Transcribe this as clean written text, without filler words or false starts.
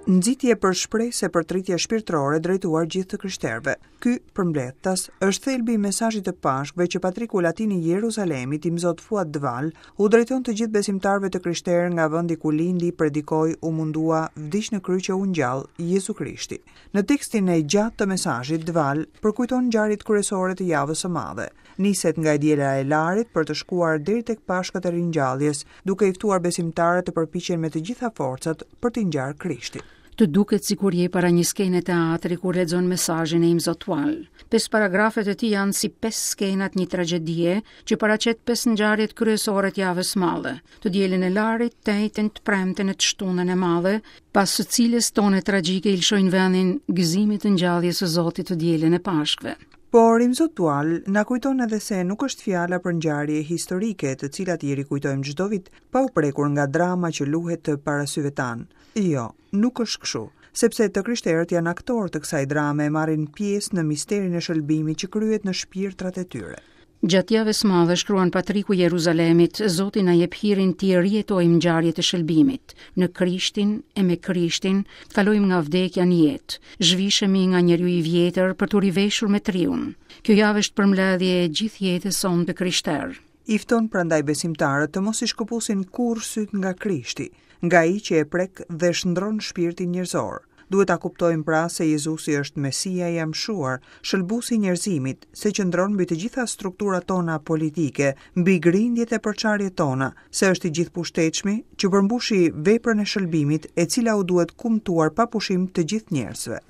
Nxitje për shpresë e përtëritje shpirtërore drejtuar gjithë të krishterëve. Ky, përmbledhtas, është thelbi i mesazhit të Pashkëve që patriku latin i Jeruzalemit, Imzot Fuad Dval, u drejton të gjithë besimtarëve të krishterë nga vendi ku lindi, predikoi, u mundua, vdiq në kryq e u ngjall, Jezu Krishti. Në tekstin e gjatë të mesazhit, Dval përkujton ngjarjet kryesore të Javës së Madhe. Niset nga e diela e Larit për të shkuar deri tek Pashkët e Ringjalljes, duke i ftuar besimtarët të përpiqen me të gjitha forcat për t'i ngjarë Krishtit. Të duket sikur je para një skene teatri kur lexon mesazhin e Imzot Twal. Pesë paragrafet e tij janë si pesë skenat një tragjedie që paraqet pesë ngjarjet kryesore të javës së madhe. Të dielën e Larit, të enjten, të premten e të shtunën e madhe, pas së cilës tone tragjike i lëshojnë vendin gëzimit të ngjalljes së Zotit të dielën e Pashkëve. Por Imzot Twal na kujton edhe se nuk është fjala për ngjarje historike, të cilat i rikujtojmë çdo vit, pa u prekur nga drama që luhet para syve tanë. Jo, nuk është kështu, sepse të krishterët janë aktorë të kësaj drame e marrin pjesë në misterin e shëlbimit që kryhet në shpirtrat e tyre. Gjatë javës së madhe, shkruan Patriku i Jeruzalemit, Zoti na jep hirin t'i rijetojmë ngjarjet e shëlbimit, në Krishtin e me Krishtin, të kalojmë nga vdekja në jetë, zhvishemi nga njeriu i vjetër për t'u riveshur me të riun. Kjo javë është përmbledhje e gjithë jetës sonë të krishterë. I fton prandaj besimtarët të mos i shkëpusin kurrë sytë nga Krishti, nga ai që e prek dhe shndërron shpirtin njerëzor. Duhet ta kuptojmë pra se Jezusi është Mesia i amshuar, shëlbuesi i njerëzimit, se qëndron mbi të gjitha strukturat tona politike, mbi grindjet e përçarjet tona, se është i gjithëpushtetshmi, që përmbushi veprën e shëlbimit, e cila u duhet kumtuar pa pushim të gjithë njerëzve.